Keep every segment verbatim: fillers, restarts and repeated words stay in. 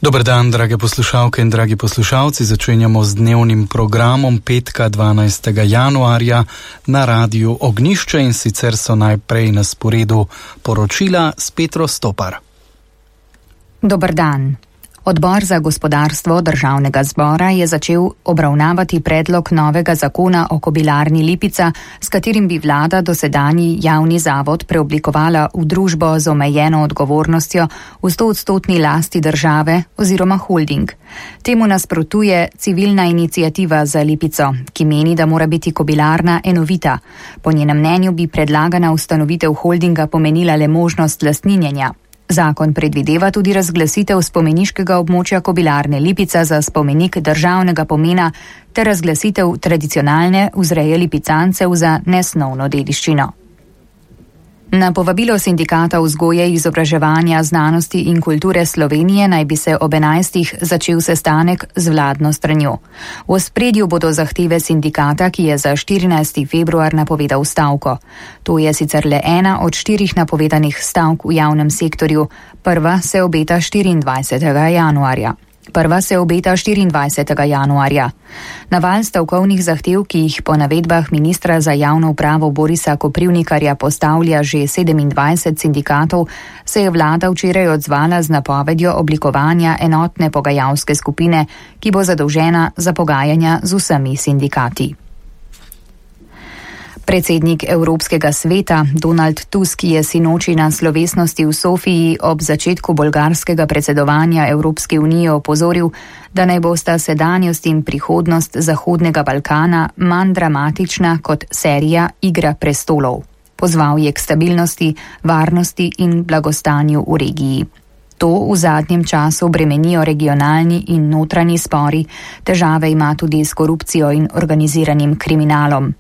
Dober dan, drage poslušalke in dragi poslušalci. Začenjamo z dnevnim programom petka dvanajstega januarja na Radiu Ognjišče in sicer so najprej na sporedu poročila s Petro Stopar. Dober dan. Odbor za gospodarstvo Državnega zbora je začel obravnavati predlog novega zakona o Kobilarni Lipica, s katerim bi vlada dosedanji javni zavod preoblikovala v družbo z omejeno odgovornostjo v stoodstotni lasti države oziroma holding. Temu nasprotuje civilna iniciativa za Lipico, ki meni, da mora biti kobilarna enovita. Po njenem mnenju bi predlagana ustanovitev holdinga pomenila le možnost lastninjenja. Zakon predvideva tudi razglasitev spomeniškega območja Kobilarne Lipica za spomenik državnega pomena ter razglasitev tradicionalne vzreje lipicancev za nesnovno dediščino. Na povabilo Sindikata vzgoje, izobraževanja, znanosti in kulture Slovenije naj bi se ob enajstih začel sestanek z vladno stranjo. V ospredju bodo zahteve sindikata, ki je za štirinajsti februar napovedal stavko. To je sicer le ena od štirih napovedanih stavk v javnem sektorju. Prva se obeta štiriindvajsetega januarja. Prva se obeta štiriindvajsetega januarja. Naval stavkovnih zahtev, ki jih po navedbah ministra za javno upravo Borisa Koprivnikarja postavlja že sedemindvajset sindikatov, se je vlada včeraj odzvala z napovedjo oblikovanja enotne pogajalske skupine, ki bo zadolžena za pogajanja z vsemi sindikati. Predsednik Evropskega sveta Donald Tusk je sinoči na slovesnosti v Sofiji ob začetku bolgarskega predsedovanja Evropske unije opozoril, da naj bosta sedanjost in prihodnost Zahodnega Balkana manj dramatična kot serija Igra prestolov. Pozval je k stabilnosti, varnosti in blagostanju v regiji. To v zadnjem času bremenijo regionalni in notranji spori, težave ima tudi s korupcijo in organiziranim kriminalom.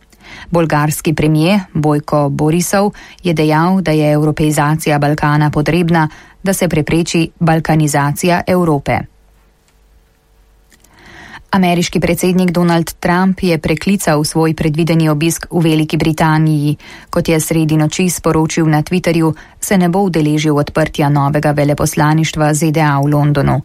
Bolgarski premijer Bojko Borisov je dejal, da je evropeizacija Balkana potrebna, da se prepreči balkanizacija Evrope. Ameriški predsednik Donald Trump je preklical svoj predvideni obisk v Veliki Britaniji. Kot je sredi noči sporočil na Twitterju, se ne bo udeležil odprtja novega veleposlaništva Z D A v Londonu.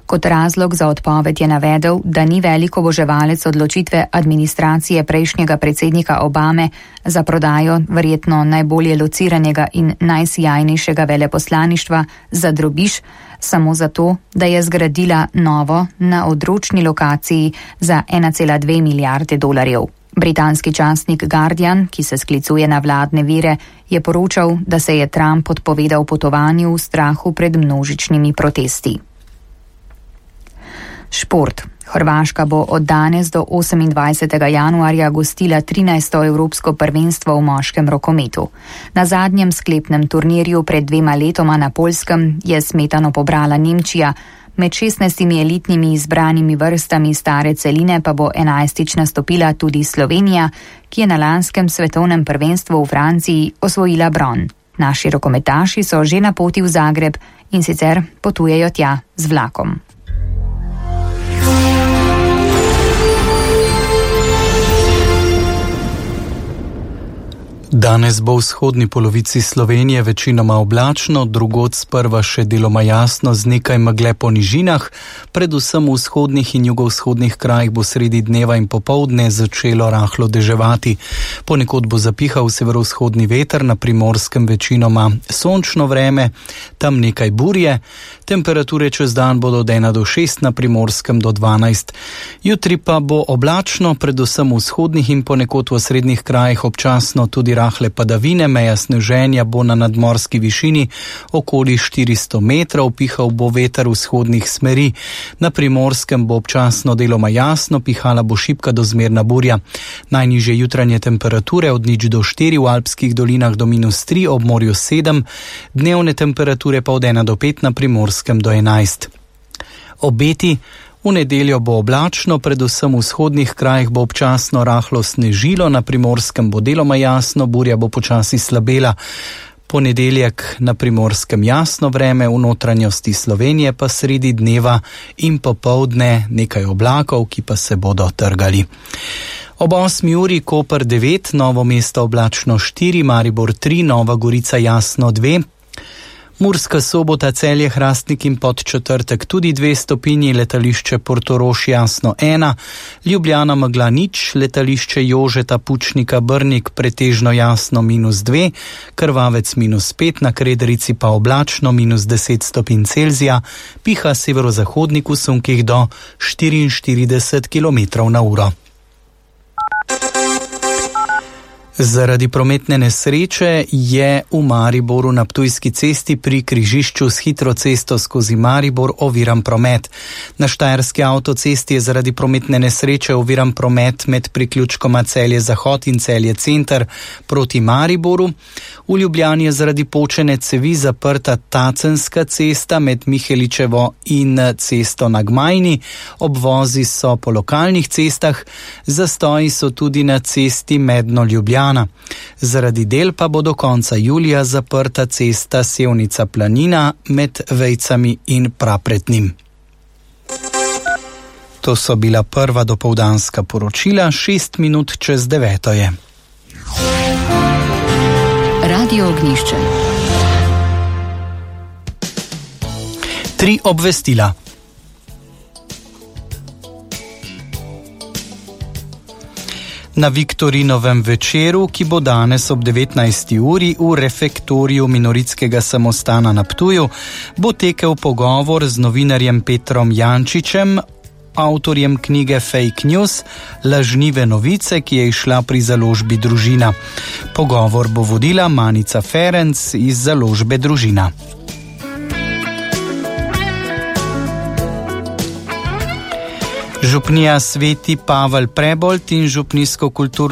Kot razlog za odpoved je navedel, da ni velik oboževalec odločitve administracije prejšnjega predsednika Obame za prodajo verjetno najbolje lociranega in najsijajnejšega veleposlaništva za drobiž, samo zato, da je zgradila novo na odročni lokaciji za ena cela dve milijarde dolarjev. Britanski časnik Guardian, ki se sklicuje na vladne vire, je poročal, da se je Trump odpovedal potovanju v strahu pred množičnimi protesti. Šport. Hrvaška bo od danes do osemindvajsetega januarja gostila trinajsto evropsko prvenstvo v moškem rokometu. Na zadnjem sklepnem turnirju pred dvema letoma na Poljskem je smetano pobrala Nemčija, med šestnajstimi elitnimi izbranimi vrstami stare celine pa bo enajstič nastopila tudi Slovenija, ki je na lanskem svetovnem prvenstvu v Franciji osvojila bron. Naši rokometaši so že na poti v Zagreb in sicer potujejo tja z vlakom. Danes bo v vzhodni polovici Slovenije večinoma oblačno, drugod sprva še deloma jasno z nekaj megle po nižinah, predvsem v vzhodnih in jugovzhodnih krajih bo sredi dneva in popoldne začelo rahlo deževati. Ponekod bo zapihal severovzhodni veter, na Primorskem večinoma sončno vreme, tam nekaj burje, temperature čez dan bodo od ena do šest, na Primorskem do dvanajst. Jutri pa bo oblačno, predvsem v vzhodnih in ponekod v srednjih krajih občasno tudi rahle padavine, meja sneženja bo na nadmorski višini okoli štiristo metrov, pihal bo veter vzhodnih smeri. Na Primorskem bo občasno deloma jasno, pihala bo šibka do zmerna burja. Najnižje jutranje temperature od nič do štiri, v alpskih dolinah do minus tri, ob morju sedem, dnevne temperature pa od ena do pet, na Primorskem do enajst. Obeti. V nedeljo bo oblačno, predvsem v vzhodnih krajih bo občasno rahlo snežilo, na Primorskem bo deloma jasno, burja bo počasi slabela. Ponedeljek na Primorskem jasno vreme, v notranjosti Slovenije pa sredi dneva in popoldne nekaj oblakov, ki pa se bodo trgali. Ob osmi uri Koper devet, Novo mesto oblačno štiri, Maribor tri, Nova Gorica jasno dve, Murska Sobota, Celje, Hrastnik in Podčetrtek tudi dve stopinji, letališče Portorož jasno ena, Ljubljana megla nič, letališče Jožeta Pučnika Brnik pretežno jasno minus dve, Krvavec minus pet, na Krederici pa oblačno minus deset stopinj Celzija, piha severozahodnik v sunkih do štiriinštirideset kilometrov na uro. Zaradi prometne nesreče je v Mariboru na Ptujski cesti pri križišču s hitro cesto skozi Maribor oviran promet. Na Štajerski avtocesti je zaradi prometne nesreče oviran promet med priključkoma Celje Zahod in Celje Center proti Mariboru. V Ljubljani je zaradi počene cevi zaprta Tacenska cesta med Miheličevo in cesto na Gmajni. Obvozi so po lokalnih cestah, zastoji so tudi na cesti Medno-Ljubljana. Zaradi del pa bo do konca julija zaprta cesta Sevnica-Planina med Vejcami in Prapretnim. To so bila prva dopoldanska poročila, šest minut čez deveto je. Radio Ognjišče. Tri obvestila. Na Viktorinovem večeru, ki bo danes ob devetnajsti uri v refektoriju Minoritskega samostana na Ptuju, bo tekel pogovor z novinarjem Petrom Jančičem, avtorjem knjige Fake News, lažnive novice, ki je izšla pri založbi Družina. Pogovor bo vodila Manica Ferenc iz založbe Družina. Župnija Sveti Pavel Prebold in župnijsko kulturno